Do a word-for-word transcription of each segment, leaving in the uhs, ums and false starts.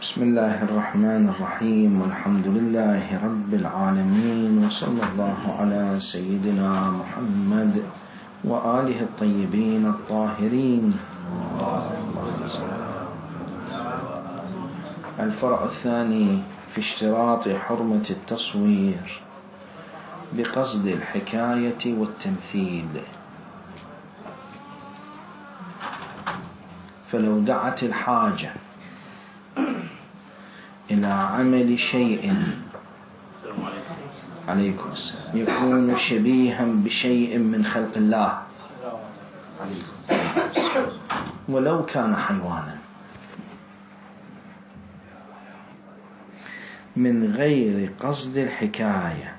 بسم الله الرحمن الرحيم، والحمد لله رب العالمين، وصلى الله على سيدنا محمد وآله الطيبين الطاهرين. الفرع الثاني في اشتراط حرمة التصوير بقصد الحكاية والتمثيل. فلو دعت الحاجة إلى عمل شيء عليكم السلام يكون شبيها بشيء من خلق الله ولو كان حيوانا من غير قصد الحكاية،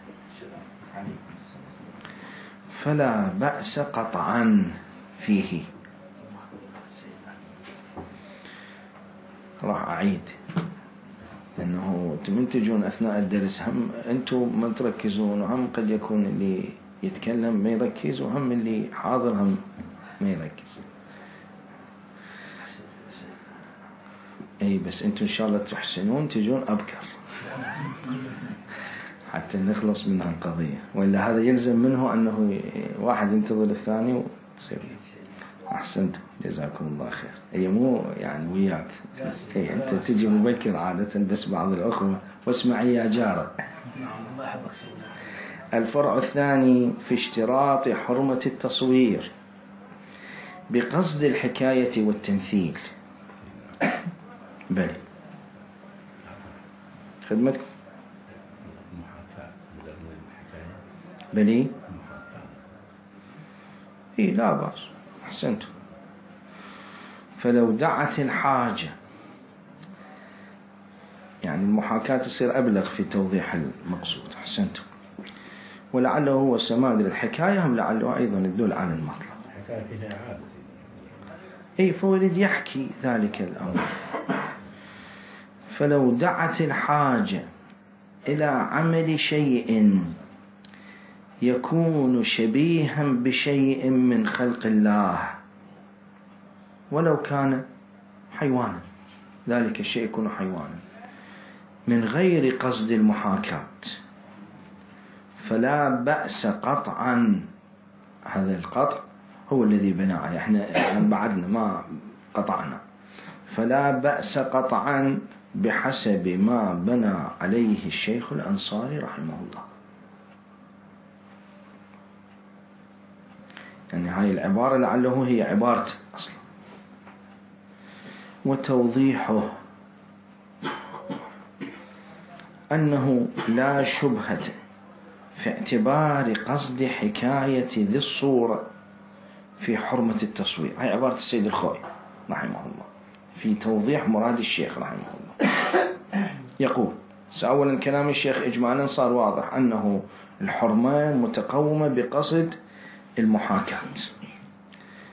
فلا بأس قطعا فيه. راح أعيد لأنه من تجون أثناء الدرس هم أنتم ما تركزون، وهم قد يكون اللي يتكلم ما يركز، وهم اللي حاضر هم ما يركز. أي بس أنتم إن شاء الله تحسنون تجون أبكر حتى نخلص من هالقضية، وإلا هذا يلزم منه أنه واحد ينتظر الثاني وتصير. أحسنتم جزاكم الله خير. أي مو يعني وياك، أي أنت تجي مبكر عادة، بس بعض الأخوة واسمعي يا جارة. الفرع الثاني في اشتراط حرمة التصوير بقصد الحكاية والتمثيل. بلي خدمتكم بلي إيه لا بأس. أحسنتم. فلو دعت الحاجة، يعني المحاكاة تصير أبلغ في توضيح المقصود. أحسنتم. ولعله هو السماد للحكاية، هم لعله أيضا يدل على المطلب. أي فولد يحكي ذلك الأمر. فلو دعت الحاجة إلى عمل شيء يكون شبيها بشيء من خلق الله ولو كان حيوانا، ذلك الشيء يكون حيوانا من غير قصد المحاكاة، فلا بأس قطعا. هذا القطع هو الذي بنى عليه، احنا بعدنا ما قطعنا. فلا بأس قطعا بحسب ما بنى عليه الشيخ الأنصاري رحمه الله. يعني هاي العبارة لعله هي عبارة أصلا. وتوضيحه أنه لا شبهة في اعتبار قصد حكاية ذي الصورة في حرمة التصوير. هاي عبارة السيد الخوي رحمه الله في توضيح مراد الشيخ رحمه الله. يقول أولا كلام الشيخ إجمالا صار واضح أنه الحرمة متقومة بقصد المحاكاة.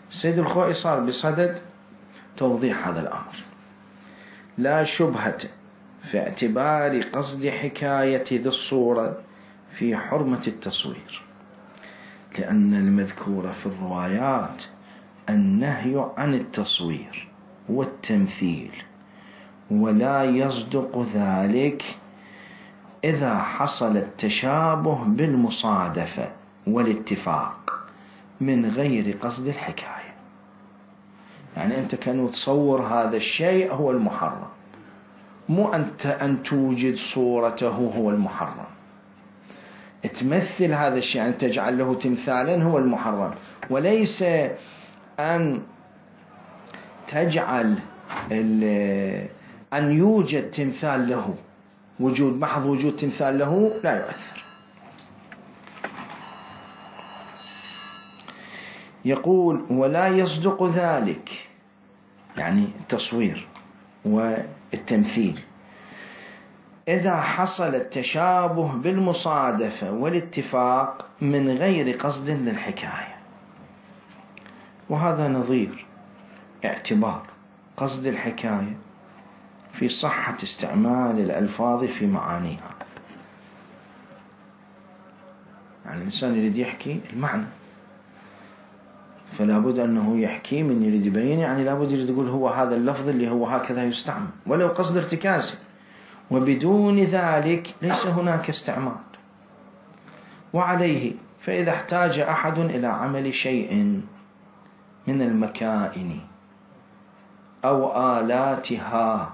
السيد الخوي صار بصدد توضيح هذا الأمر. لا شبهة في اعتبار قصد حكاية ذي الصورة في حرمة التصوير، لأن المذكور في الروايات النهي عن التصوير والتمثيل، ولا يصدق ذلك إذا حصل التشابه بالمصادفة والاتفاق من غير قصد الحكاية. يعني أنت كان تصور هذا الشيء هو المحرم، مو أنت أن توجد صورته هو المحرم. تمثل هذا الشيء، يعني تجعل له تمثالا هو المحرم، وليس أن تجعل أن يوجد تمثال له. وجود محض وجود تمثال له لا يؤثر. يقول ولا يصدق ذلك، يعني التصوير والتمثيل، إذا حصل التشابه بالمصادفة والاتفاق من غير قصد للحكاية. وهذا نظير اعتبار قصد الحكاية في صحة استعمال الألفاظ في معانيها. يعني الإنسان يريد يحكي المعنى، فلا بد أنه يحكي من يريد يبين، يعني لا بد يريد يقول هو هذا اللفظ اللي هو هكذا يستعمل ولو قصد ارتكازه، وبدون ذلك ليس هناك استعمال. وعليه فإذا احتاج أحد إلى عمل شيء من المكائن أو آلاتها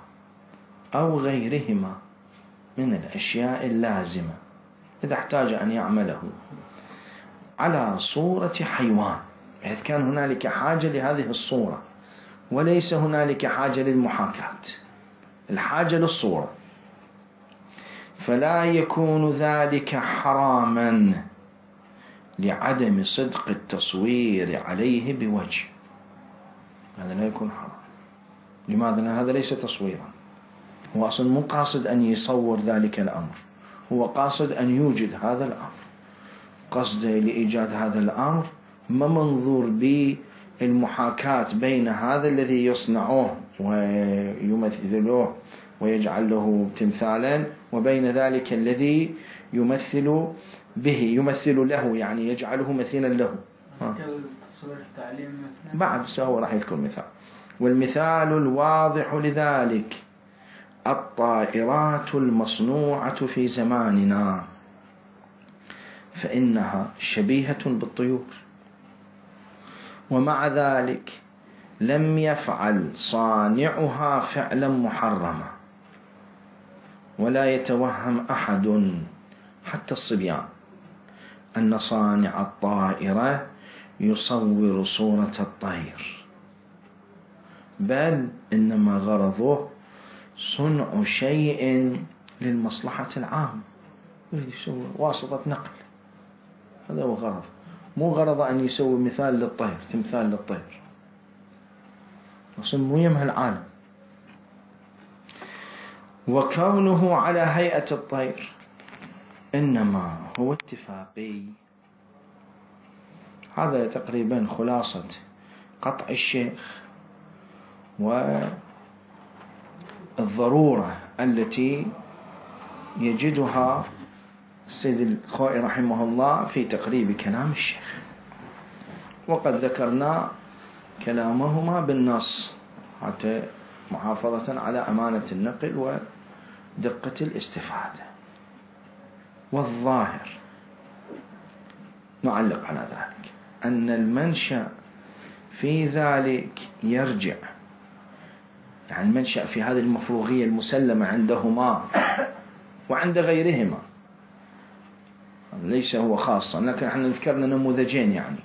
أو غيرهما من الأشياء اللازمة، إذا احتاج أن يعمله على صورة حيوان، بحيث كان هنالك حاجة لهذه الصورة وليس هنالك حاجة للمحاكاة، الحاجة للصورة، فلا يكون ذلك حراما لعدم صدق التصوير عليه بوجه. هذا لا يكون حرام. لماذا؟ لأن هذا ليس تصويرا، هو أصلا مو قاصد أن يصور ذلك الأمر، هو قاصد أن يوجد هذا الأمر، قصده لإيجاد هذا الأمر ما منظور بالمحاكاة بين هذا الذي يصنعه ويمثله ويجعل له تمثالا وبين ذلك الذي يمثل به يمثل له، يعني يجعله مثيلا له. بعد سوى راح يذكر مثال. والمثال الواضح لذلك الطائرات المصنوعة في زماننا، فإنها شبيهة بالطيور، ومع ذلك لم يفعل صانعها فعلا محرما، ولا يتوهم أحد حتى الصبيان أن صانع الطائرة يصور صورة الطير، بل إنما غرضه صنع شيء للمصلحة العامة، يريد يسوي واسطة نقل، هذا هو غرض، مو غرض أن يسوي مثال للطير، تمثال للطير، أصلا مو يمه العالم. وكونه على هيئة الطير إنما هو اتفاقي. هذا تقريبا خلاصة قطع الشيخ والضرورة التي يجدها السيد الخوئي رحمه الله في تقريب كلام الشيخ، وقد ذكرنا كلامهما بالنص حتى محافظة على أمانة النقل ودقة الاستفادة. والظاهر نعلق على ذلك أن المنشأ في ذلك يرجع، يعني المنشأ في هذه المفروغية المسلمة عندهما وعند غيرهما، ليس هو خاصا، لكن احنا ذكرنا نموذجين. يعني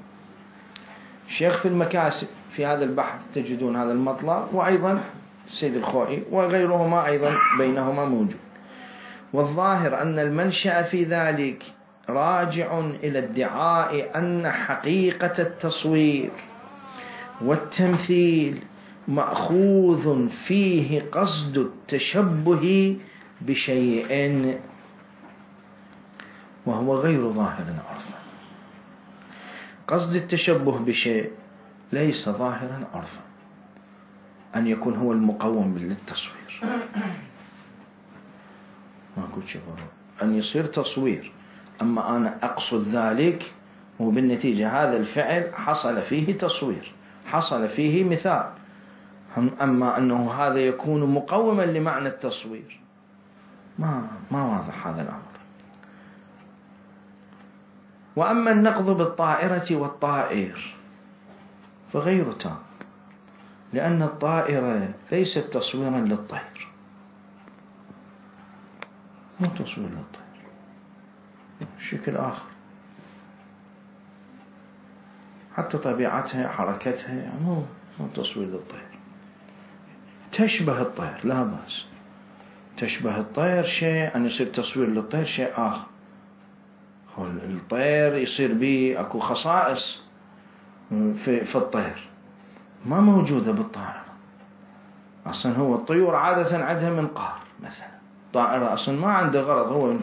الشيخ في المكاسب في هذا البحث تجدون هذا المطلب، وأيضا السيد الخوئي وغيرهما أيضا بينهما موجود. والظاهر أن المنشأ في ذلك راجع إلى ادعاء أن حقيقة التصوير والتمثيل مأخوذ فيه قصد التشبه بشيء، وهو غير ظاهر عرفا. قصد التشبه بشيء ليس ظاهرا عرفا، أن يكون هو المقوم للتصوير، ما أقول شيء ضروري أن يصير تصوير، أما أنا أقصد ذلك وبالنتيجة هذا الفعل حصل فيه تصوير، حصل فيه مثال، أما أنه هذا يكون مقوما لمعنى التصوير ما ما واضح هذا الأمر. وأما النقض بالطائرة والطائر فغير تام، لأن الطائرة ليست تصويرا للطير، مو تصوير للطير، شكل آخر، حتى طبيعتها حركتها مو مو تصوير للطير، تشبه الطير لا بأس، تشبه الطير شيء، أن يصير تصوير للطير شيء آخر. الطير يصير به أكو خصائص في, في الطير ما موجودة بالطائرة. أصلا هو الطيور عادة عندها منقار مثلا، طائرة أصلا ما عنده غرض. هو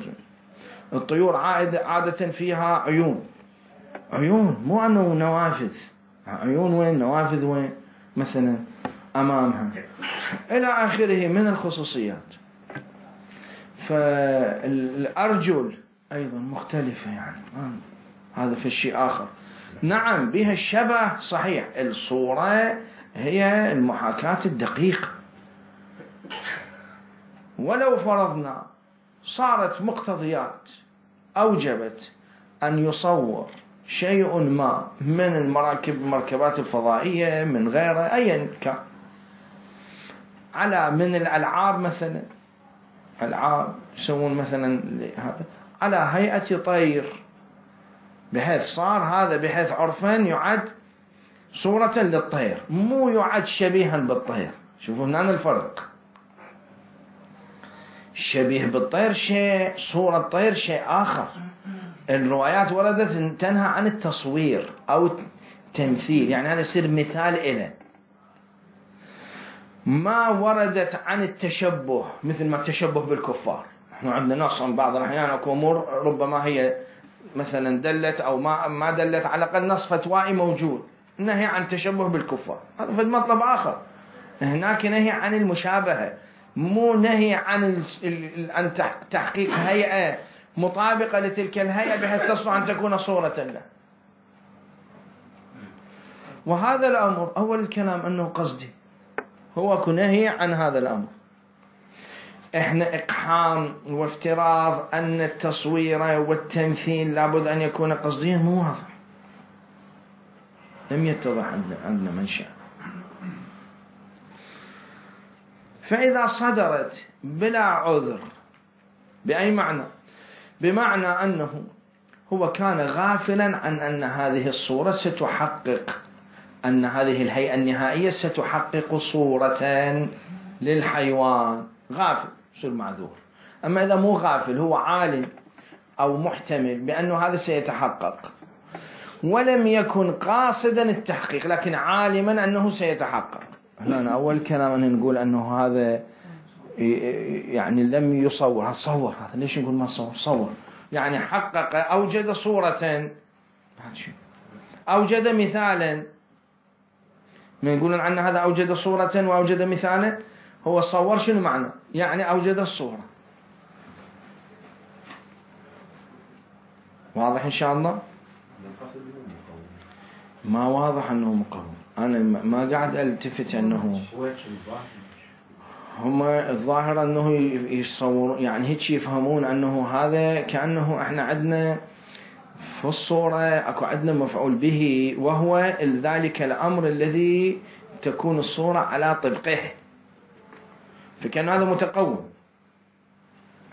الطيور عادة, عادة فيها عيون، عيون مو أنه نوافذ، عيون وين نوافذ وين مثلا أمامها إلى آخره من الخصوصيات. فالأرجل أيضا مختلفة، يعني هذا في شيء آخر. نعم بها الشبه صحيح، الصورة هي المحاكاة الدقيقة. ولو فرضنا صارت مقتضيات أوجبت أن يصور شيء ما من المراكب المركبات الفضائية من غيرها أيا كان على من الألعاب مثلا، ألعاب يسوون مثلا هذا على هيئة طير، بحيث صار هذا بحيث عرفا يعد صورة للطير، مو يعد شبيها بالطير. شوفوا هنا الفرق، شبيه بالطير شيء، صورة الطير شيء آخر. الروايات وردت تنهى عن التصوير أو التمثيل، يعني هذا يصير مثال إله. ما وردت عن التشبه، مثل ما التشبه بالكفار. احنا عندنا نص عن بعض الأحيان أكو أمور ربما هي مثلا دلت أو ما ما دلت على الأقل نص فتوائي موجود، نهي عن التشبه بالكفار، هذا في مطلب آخر. هناك نهي عن المشابهة، مو نهي عن عن تحقيق هيئة مطابقة لتلك الهيئة بحيث تصلح أن تكون صورة له. وهذا الأمر أول الكلام أنه قصدي، هو كنهي عن هذا الأمر. إحنا إقحام وافتراض أن التصوير والتمثيل لابد أن يكون قصديا مو واضح، لم يتضح عندنا منشأ. فإذا صدرت بلا عذر بأي معنى؟ بمعنى أنه هو كان غافلا عن أن هذه الصورة ستحقق، أن هذه الهيئة النهائية ستحقق صورة للحيوان، غافل يصير معذور. أما إذا مو غافل، هو عالم أو محتمل بأنه هذا سيتحقق ولم يكن قاصدا التحقيق لكن عالما أنه سيتحقق، هنا أول كلام أن نقول أنه هذا يعني لم يصور، صور، هذا ليش نقول ما صور؟ صور يعني حقق، أوجد صورة، أوجد مثالا. من يقولون عن هذا أوجد صورة وأوجد مثالا، هو صور شنو معنى؟ يعني أوجد الصورة. واضح إن شاء الله؟ ما واضح أنه مقوم، أنا ما قاعد ألتفت أنه هم الظاهر أنه يصور، يعني هيك يفهمون أنه هذا كأنه إحنا عندنا في الصورة أكو عندنا مفعول به، وهو ذلك الأمر الذي تكون الصورة على طبقه، فكان هذا متقوم.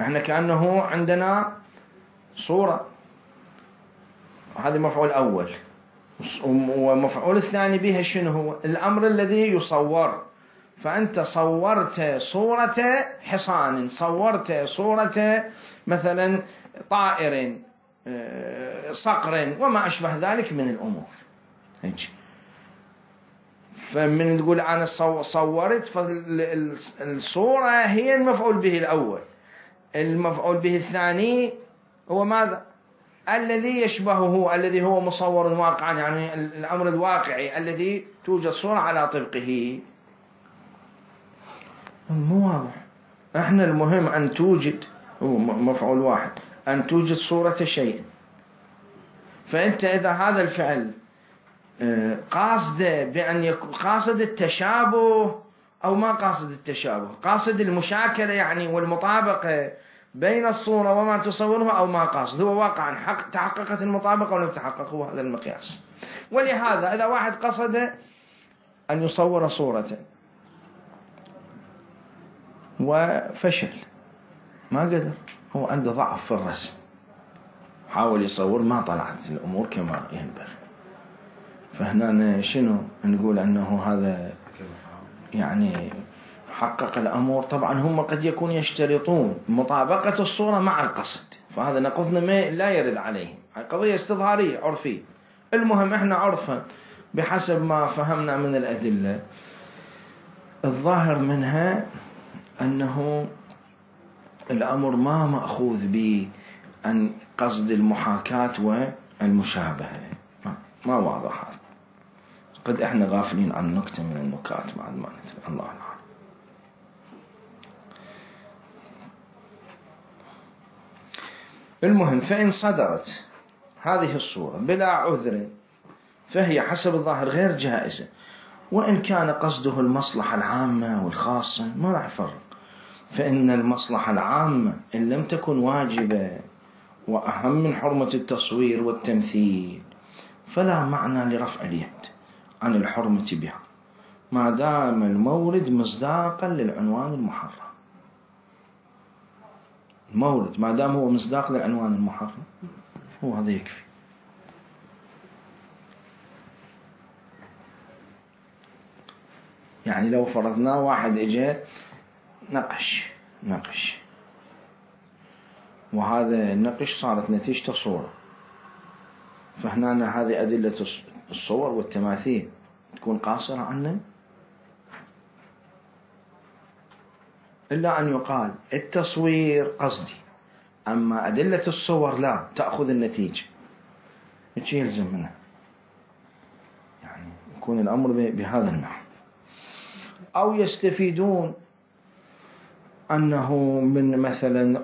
إحنا كأنه عندنا صورة، هذا مفعول أول، ومفعول الثاني بها شنو هو؟ الأمر الذي يصور. فأنت صورت صورة حصان، صورت صورة مثلا طائر، صقر، وما أشبه ذلك من الأمور. فمن تقول أنا صورت، فالصورة هي المفعول به الأول. المفعول به الثاني هو ماذا؟ الذي يشبهه، الذي هو مصور واقعا، يعني الأمر الواقعي الذي توجد صورة على طبقه. مو واضح. احنا المهم أن توجد، هو مفعول واحد، أن توجد صورة شيء. فأنت إذا هذا الفعل قاصد بأن يكون قاصد التشابه أو ما قاصد التشابه، قاصد المشاكلة يعني والمطابقة بين الصورة وما تصورها، أو ما قاصد، هو واقعا حق تحققت المطابقة ولم تحقق، هو هذا المقياس. ولهذا إذا واحد قصد أن يصور صورة وفشل، ما قدر، هو عنده ضعف في الرسم، حاول يصور ما طلعت الأمور كما ينبغي، فهنا شنو نقول؟ أنه هذا يعني حقق الأمور. طبعا هم قد يكون يشترطون مطابقة الصورة مع القصد، فهذا نقضنا ما لا يرد عليهم، قضية استظهارية عرفية. المهم احنا عرفا بحسب ما فهمنا من الأدلة الظاهر منها أنه الأمر ما مأخوذ بأن قصد المحاكاة والمشابهة، ما واضح هذا. قد احنا غافلين عن نكتة من النكات مع المعنى، الله أعلم. المهم فإن صدرت هذه الصورة بلا عذر فهي حسب الظاهر غير جائزة، وإن كان قصده المصلحة العامة والخاصة ما راح يفرق. فإن المصلحة العامة إن لم تكن واجبة وأهم من حرمة التصوير والتمثيل فلا معنى لرفع اليد عن الحرمة بها ما دام المورد مصداقا للعنوان المحرم. المورد ما دام هو مصداق للعنوان المحرم هو هذا يكفي. يعني لو فرضنا واحد اجى نقش نقش وهذا النقش صارت نتيجته صورة، فهنا هذه أدلة الصور والتماثيل تكون قاصرة عنه، إلا أن يقال التصوير قصدي أما أدلة الصور لا تأخذ النتيجة، إيش يلزم منها؟ يعني يكون الأمر بهذا النحو. أو يستفيدون أنه من مثلا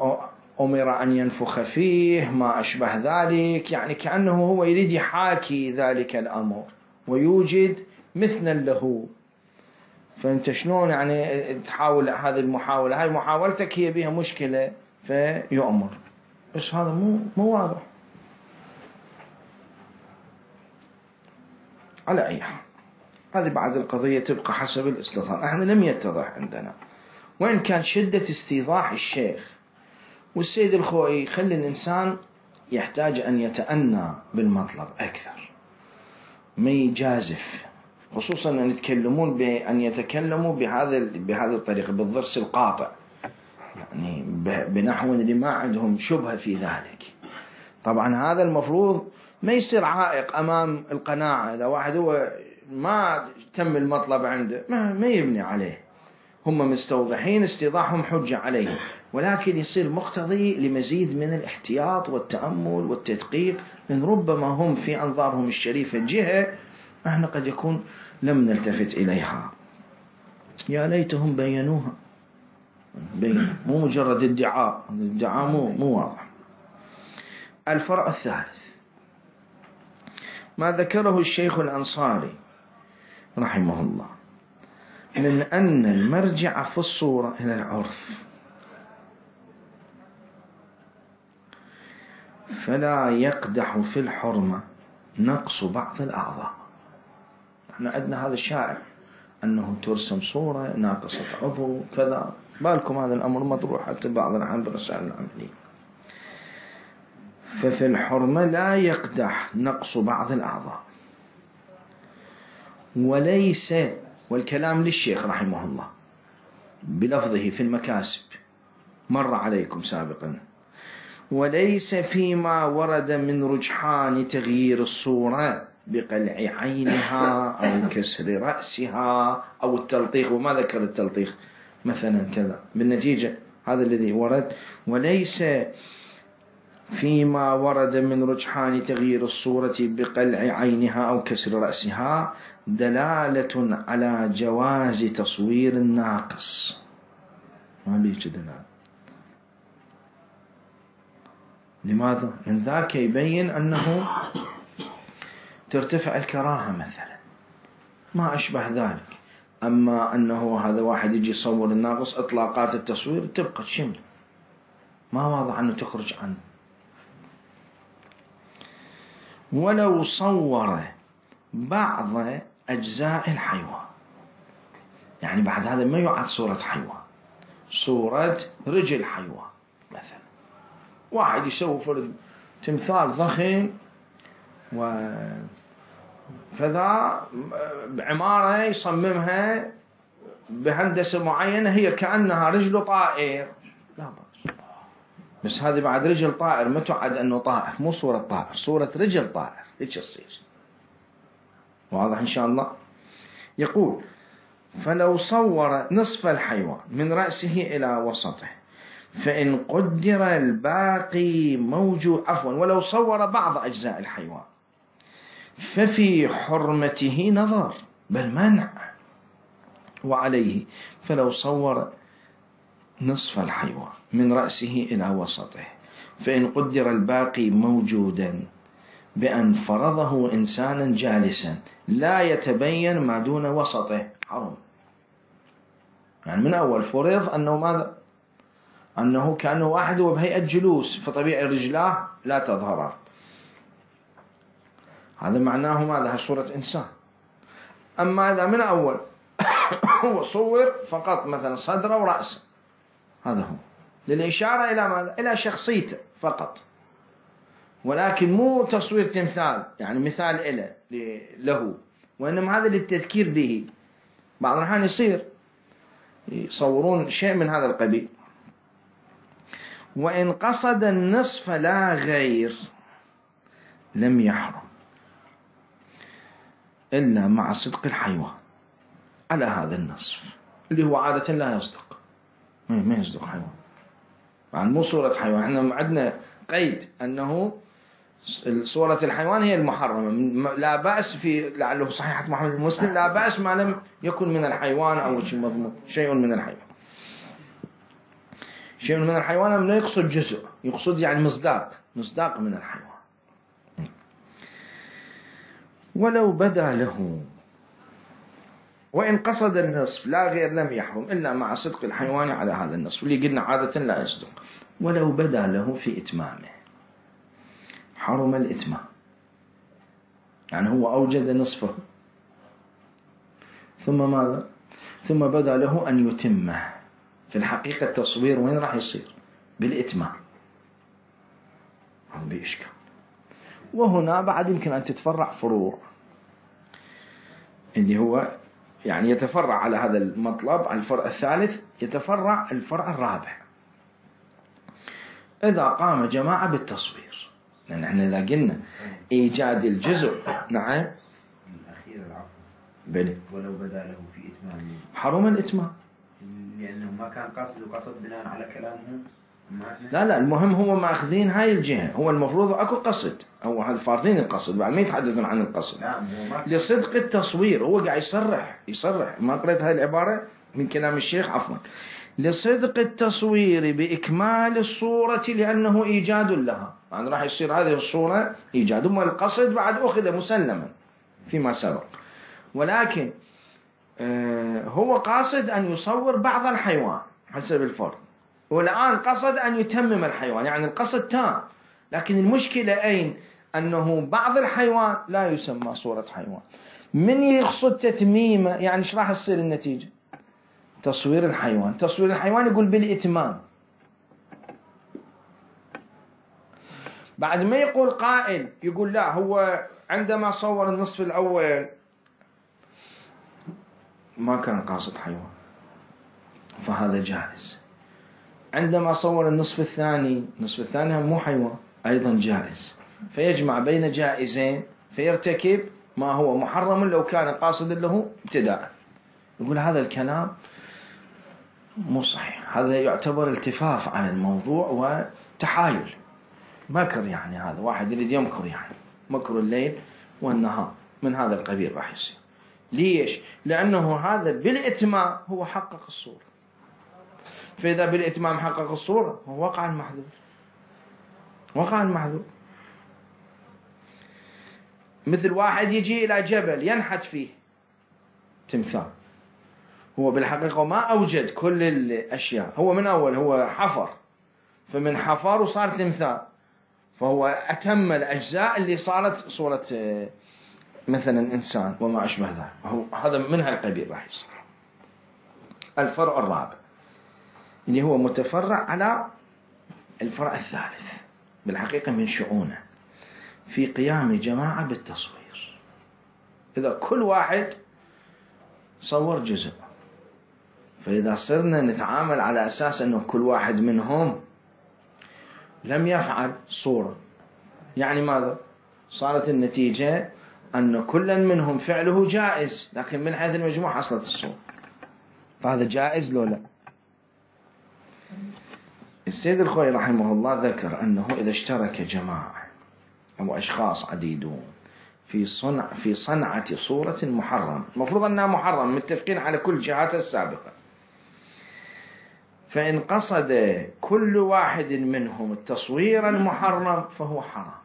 أمر أن ينفخ فيه ما أشبه ذلك، يعني كأنه هو يريد يحاكي ذلك الأمر ويوجد مثلا له. فأنت شلون يعني تحاول هذه المحاولة، هاي محاولتك هي بها مشكلة فيؤمر، بس هذا مو مو واضح. على أي حال هذه بعد القضية تبقى حسب الاستظهار. احنا لم يتضح عندنا، وإن كان شدة استيضاح الشيخ والسيد الخوئي يخلي الإنسان يحتاج أن يتأنى بالمطلب أكثر ما يجازف، خصوصا أن يتكلمون بأن يتكلموا بهذا بهذه الطريقة بالضرس القاطع، يعني بنحو اللي ما عندهم شبهة في ذلك. طبعا هذا المفروض ما يصير عائق أمام القناعة. إذا واحد هو ما تم المطلب عنده ما, ما يبني عليه، هم مستوضحين استيضاحهم حجة عليه، ولكن يصير مقتضي لمزيد من الاحتياط والتأمل والتدقيق، لأن ربما هم في أنظارهم الشريفة جهة احنا قد يكون لم نلتفت إليها. يا ليتهم بينوها، بين مو مجرد ادعاء، الادعاء مو مو واضح. الفرع الثالث ما ذكره الشيخ الأنصاري رحمه الله من أن المرجع في الصورة إلى العرف، فلا يقدح في الحرمة نقص بعض الأعضاء. احنا عندنا هذا الشائع أنه ترسم صورة ناقصة عضو كذا، بالكم هذا الأمر مطروح حتى بعض الأحيان بالرسائل العملية. ففي الحرمة لا يقدح نقص بعض الأعضاء، وليس، والكلام للشيخ رحمه الله بلفظه في المكاسب مر عليكم سابقا، وليس فيما ورد من رجحان تغيير الصورة بقلع عينها أو كسر رأسها أو التلطيخ، وما ذكر التلطيخ مثلا كذا بالنتيجة هذا الذي ورد. وليس فيما ورد من رجحان تغيير الصورة بقلع عينها أو كسر رأسها دلالة على جواز تصوير الناقص. ما بيجي دلالة. لماذا؟ من ذاك يبين أنه ترتفع الكراهة مثلا ما أشبه ذلك. أما أنه هذا واحد يجي يصور الناقص إطلاقات التصوير تبقى شمل ما واضح أنه تخرج عنه. ولو صور بعض أجزاء الحيوان، يعني بعد هذا ما يعد صورة حيوان، صورة رجل حيوان مثلا، واحد يسوي فرد تمثال ضخم وكذا بعمارة يصممها بهندسة معينة هي كأنها رجل طائر، لا بأس، بس هذه بعد رجل طائر ما تعد أنه طائر، مو صورة طائر، صورة رجل طائر، إيش يصير؟ واضح إن شاء الله. يقول فلو صور نصف الحيوان من رأسه إلى وسطه فإن قدر الباقي موجود، عفوا ولو صور بعض أجزاء الحيوان ففي حرمته نظر بل منع. وعليه فلو صور نصف الحيوان من رأسه إلى وسطه فإن قدر الباقي موجودا بأن فرضه إنسانا جالسا لا يتبين ما دون وسطه حرم. يعني من أول فرض أنه ماذا؟ أنه كأنه واحد وبهيئة جلوس، فطبيعي رجلاه لا تظهر، هذا معناه ماذا؟ صورة إنسان. أما إذا من أول هو صور فقط مثلا صدره ورأسه، هذا هو للإشارة إلى ماذا؟ إلى شخصيته فقط، ولكن مو تصوير تمثال يعني مثال إله له، وإنما هذا للتذكير به. بعض الأحيان يصير يصورون شيء من هذا القبيل. وإن قصد النصف لا غير لم يحرم إلا مع صدق الحيوان على هذا النصف اللي هو عادة لا يصدق، ما يصدق حيوان، يعني مو صورة حيوان. احنا عندنا قيد أنه صورة الحيوان هي المحرمة، لا بأس في لعله صحيحة محمد المسلم لا بأس ما لم يكن من الحيوان أو شيء مضمون، شيء من الحيوان. شيء من الحيوان لا يقصد جزء، يقصد يعني مصداق، مصداق من الحيوان. ولو بدا له وإن قصد النصف لا غير لم يحرم إلا مع صدق الحيوان على هذا النصف اللي قلنا عادة لا يصدق. ولو بدا له في إتمامه حرم الإتمام، يعني هو أوجد نصفه ثم ماذا؟ ثم بدا له أن يتمه. في الحقيقة التصوير وين راح يصير؟ بالإتمام، هذا بإشكال. وهنا بعد يمكن أن تتفرع فروع، اللي هو يعني يتفرع على هذا المطلب على الفرع الثالث، يتفرع الفرع الرابع إذا قام جماعة بالتصوير. لأن احنا إذا قلنا إيجاد الجزء نعم الأخير العفو بلي ولو بدا له في إتمام حرم الإتمام، لأنه ما كان قصد وقصد بناء على كلامهم. لا لا المهم هو ماخذين هاي الجهة، هو المفروض أكو قصد، هو هذا فارضين القصد بعد ما يتحدثون عن القصد لصدق التصوير. هو قاعد يصرح يصرح ما قريت هاي العبارة من كلام الشيخ عفوا، لصدق التصوير بإكمال الصورة لأنه إيجاد لها، يعني راح يصير هذه الصورة إيجاد، ثم القصد بعد أخذ مسلما فيما سبق، ولكن آه هو قاصد أن يصور بعض الحيوان حسب الفرض، والآن قصد أن يتمم الحيوان، يعني القصد تام. لكن المشكلة أين؟ أنه بعض الحيوان لا يسمى صورة حيوان. من يقصد تتميمه يعني ايش راح تصير النتيجة؟ تصوير الحيوان. تصوير الحيوان يقول بالإتمام. بعد ما يقول قائل يقول لا هو عندما صور النصف الأول ما كان قاصد حيوان فهذا جائز، عندما صور النصف الثاني النصف الثاني مو حيوان أيضا جائز، فيجمع بين جائزين فيرتكب ما هو محرم لو كان قاصد له ابتداء. يقول هذا الكلام مو صحيح، هذا يعتبر التفاف عن الموضوع وتحايل مكر، يعني هذا واحد يريد يمكر، يعني مكر الليل والنهار من هذا القبيل راح يصير. ليش؟ لأنه هذا بالإتمام هو حقق الصورة، فإذا بالإتمام حقق الصورة هو وقع المحذور، وقع المحذور. مثل واحد يجي إلى جبل ينحت فيه تمثال، هو بالحقيقة ما أوجد كل الأشياء، هو من أول هو حفر، فمن حفر وصار تمثال، فهو أتم الأجزاء اللي صارت صورة مثلا إنسان وما أشبه ذلك، هذا من هالقبيل راح يصير. الفرع الرابع اللي هو متفرع على الفرع الثالث بالحقيقة من شؤونه في قيام جماعة بالتصوير. إذا كل واحد صور جزء، فإذا صرنا نتعامل على أساس أنه كل واحد منهم لم يفعل صورة، يعني ماذا؟ صارت النتيجة أن كل منهم فعله جائز، لكن من حيث المجموع حصلت الصورة، فهذا جائز لو لا؟ السيد الخوي رحمه الله ذكر أنه إذا اشترك جماعة أو أشخاص عديدون في صنع في صنعة صورة محرم، المفروض أنها محرم متفقين على كل جهات السابقة، فإن قصد كل واحد منهم التصوير المحرم فهو حرام.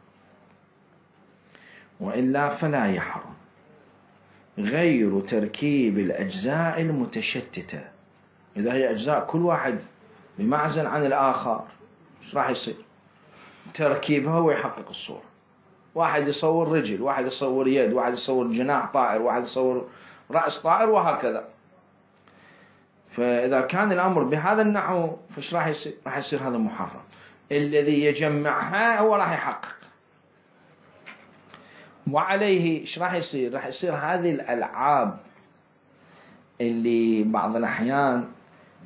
وإلا فلا يحرم. غير تركيب الأجزاء المتشتتة، إذا هي أجزاء كل واحد بمعزل عن الآخر ايش راح يصير؟ تركيبها ويحقق الصورة. واحد يصور رجل، واحد يصور يد، واحد يصور جناح طائر، واحد يصور رأس طائر، وهكذا. فإذا كان الأمر بهذا النحو فايش راح يصير؟ راح يصير هذا محرم. الذي يجمعها هو راح يحقق، وعليه ايش راح يصير؟ راح يصير هذه الألعاب اللي بعض الأحيان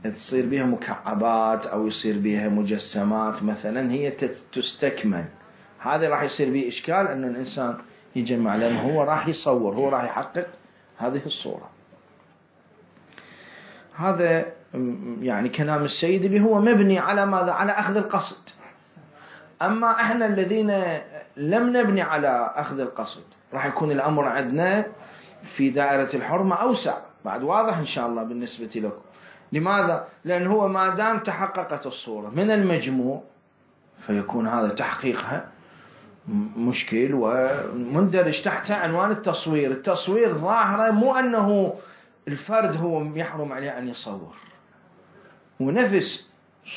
تصير بها مكعبات أو يصير بها مجسمات مثلا، هي تستكمل. هذا راح يصير به إشكال أنه الإنسان يجمع، لأنه هو راح يصور، هو راح يحقق هذه الصورة. هذا يعني كلام السيد اللي هو مبني على ماذا؟ على أخذ القصد. أما إحنا الذين لم نبني على أخذ القصد راح يكون الأمر عندنا في دائرة الحرمة أوسع، بعد واضح إن شاء الله بالنسبة لكم. لماذا؟ لأن هو ما دام تحققت الصورة من المجموع فيكون هذا تحقيقها مشكل ومندرج تحت عنوان التصوير. التصوير ظاهرة مو أنه الفرد هو يحرم عليه أن يصور، ونفس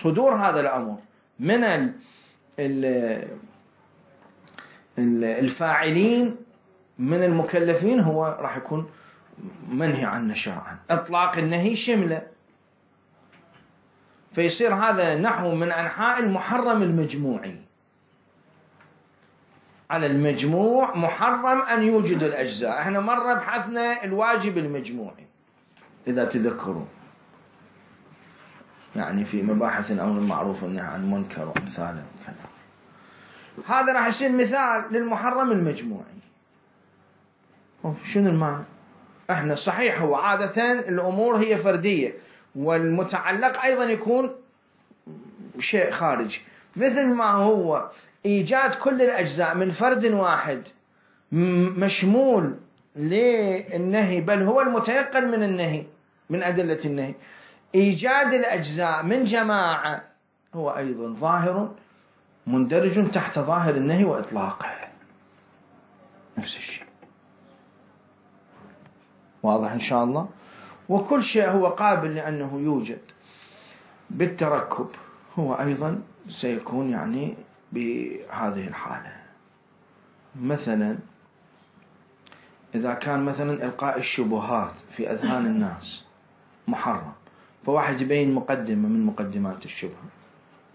صدور هذا الأمر من الفاعلين من المكلفين هو راح يكون منهي عنه شرعا. إطلاق النهي شمله، فيصير هذا نحو من أنحاء المحرم المجموعي. على المجموع محرم أن يوجد الأجزاء. احنا مرة بحثنا الواجب المجموعي إذا تذكروا، يعني في مباحث الأمر المعروف والنهي عن المنكر وأمثاله كذا. هذا راح يصير مثال للمحرم المجموعي. شنو المعنى؟ احنا صحيح هو عادة الأمور هي فردية، والمتعلق أيضا يكون شيء خارجي، مثل ما هو إيجاد كل الأجزاء من فرد واحد مشمول للنهي، بل هو المتيقن من النهي من أدلة النهي. إيجاد الأجزاء من جماعة هو أيضا ظاهر مندرج تحت ظاهر النهي وإطلاقه، نفس الشيء. واضح إن شاء الله؟ وكل شيء هو قابل لأنه يوجد بالتركب هو أيضا سيكون يعني بهذه الحالة. مثلا إذا كان مثلا إلقاء الشبهات في أذهان الناس محرم، فواحد يبين مقدمة من مقدمات الشبهة،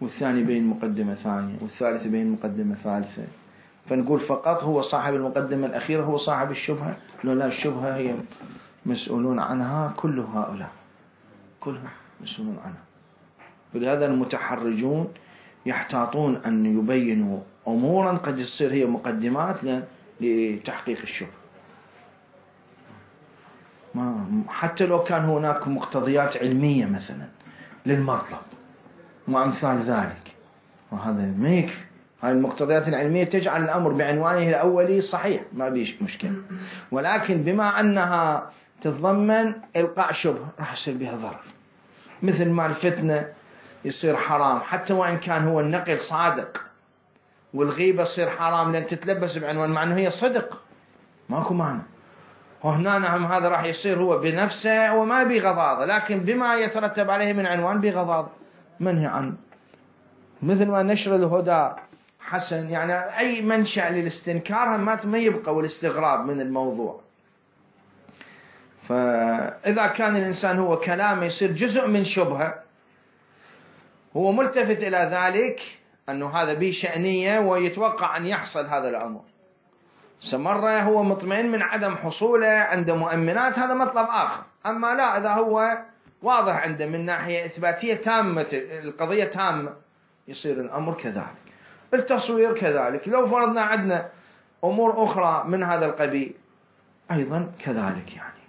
والثاني يبين مقدمة ثانية، والثالث يبين مقدمة ثالثة، فنقول فقط هو صاحب المقدمة الأخيرة هو صاحب الشبهة؟ لو لا، الشبهة هي مسؤولون عنها كل هؤلاء، كلهم مسؤولون عنها. فلهذا المتحرجون يحتاطون أن يبينوا أمورا قد يصير هي مقدمات لتحقيق الشبهة، ما حتى لو كان هناك مقتضيات علمية مثلا للمطلب وأمثال ذلك، وهذا ما يكفي. هاي المقتضيات العلمية تجعل الأمر بعنوانه الأولي صحيح، ما بيش مشكلة، ولكن بما أنها تتضمن إلقاء شبهة راح يصير بها ضرر. مثل ما الفتنة يصير حرام حتى وإن كان هو النقل صادق، والغيبة يصير حرام لأن تتلبس بعنوان مع أنه هي صدق، ماكو معنى. وهنا نعم هذا راح يصير هو بنفسه وما بغضاضة، لكن بما يترتب عليه من عنوان بغضاضة منهي عنه. مثل ما نشر الهدى حسن، يعني أي منشأ للاستنكار ما يبقى والاستغراب من الموضوع. فإذا كان الإنسان هو كلامه يصير جزء من شبهة، هو ملتفت إلى ذلك أنه هذا به شأنية ويتوقع أن يحصل هذا الأمر، سمرة هو مطمئن من عدم حصوله عند مؤمنات، هذا مطلب آخر. أما لا، إذا هو واضح عنده من ناحية إثباتية تامة، القضية تامة، يصير الأمر كذلك. التصوير كذلك، لو فرضنا عندنا أمور أخرى من هذا القبيل أيضا كذلك، يعني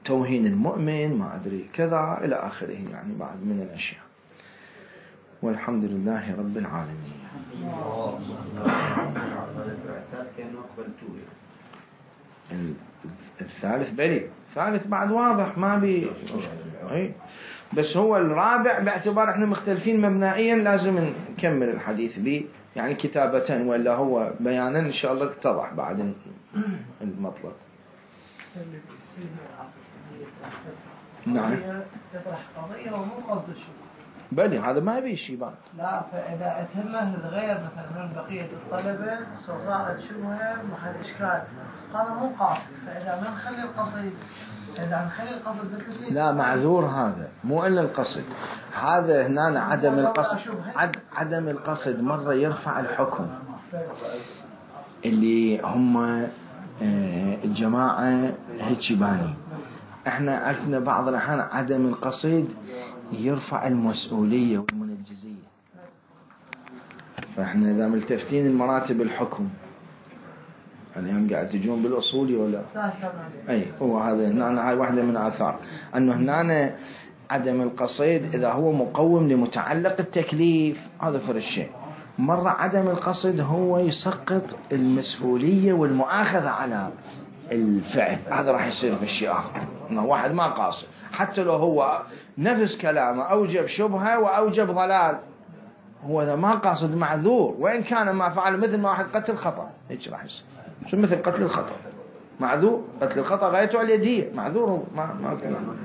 توهين المؤمن ما أدري كذا إلى آخره، يعني بعد من الأشياء. والحمد لله رب العالمين. الثالث بلي، الثالث بعد واضح ما بي، بس هو الرابع باعتبار احنا مختلفين مبنائيا لازم نكمل الحديث به يعني كتابة ولا هو بيانا إن شاء الله اتضح بعد المطلب. نعم تطرح قضية ومو قصد الشبهة. بلي هذا ما يبي شيء بعد. لا فإذا أتهمه الغير مثلا من بقية الطلبة صارت شبهة محل إشكال، هذا مو قاصد. فإذا ما نخلي القصيد إذا نخلي القصد بالكثير لا معذور، هذا مو إلا القصد، هذا هنا عدم القصد. عد عدم القصد مرة يرفع الحكم اللي هم الجماعة هيك باني. احنا عرفنا بعض الأحيان عدم القصد يرفع المسؤولية والمنجزية. فاحنا إذا ملتفتين المراتب الحكم اليوم قاعد تجون بالأصولي ولا أي هو هذا هنا، هاي واحدة من آثار أنه هنا عدم القصد إذا هو مقوم لمتعلق التكليف هذا فرق الشيء. مرة عدم القصد هو يسقط المسؤولية والمؤاخذة على الفعل، هذا راح يصير بالشيء آخر. إنه واحد ما قاصد حتى لو هو نفس كلامه أوجب شبهة وأوجب ضلال، هو إذا ما قاصد معذور، وإن كان ما فعل مثل ما واحد قتل خطأ هيك راح يصير. شو مثل قتل الخطأ معذور، قتل الخطأ غايته على اليدية معذور، ما ما كلام.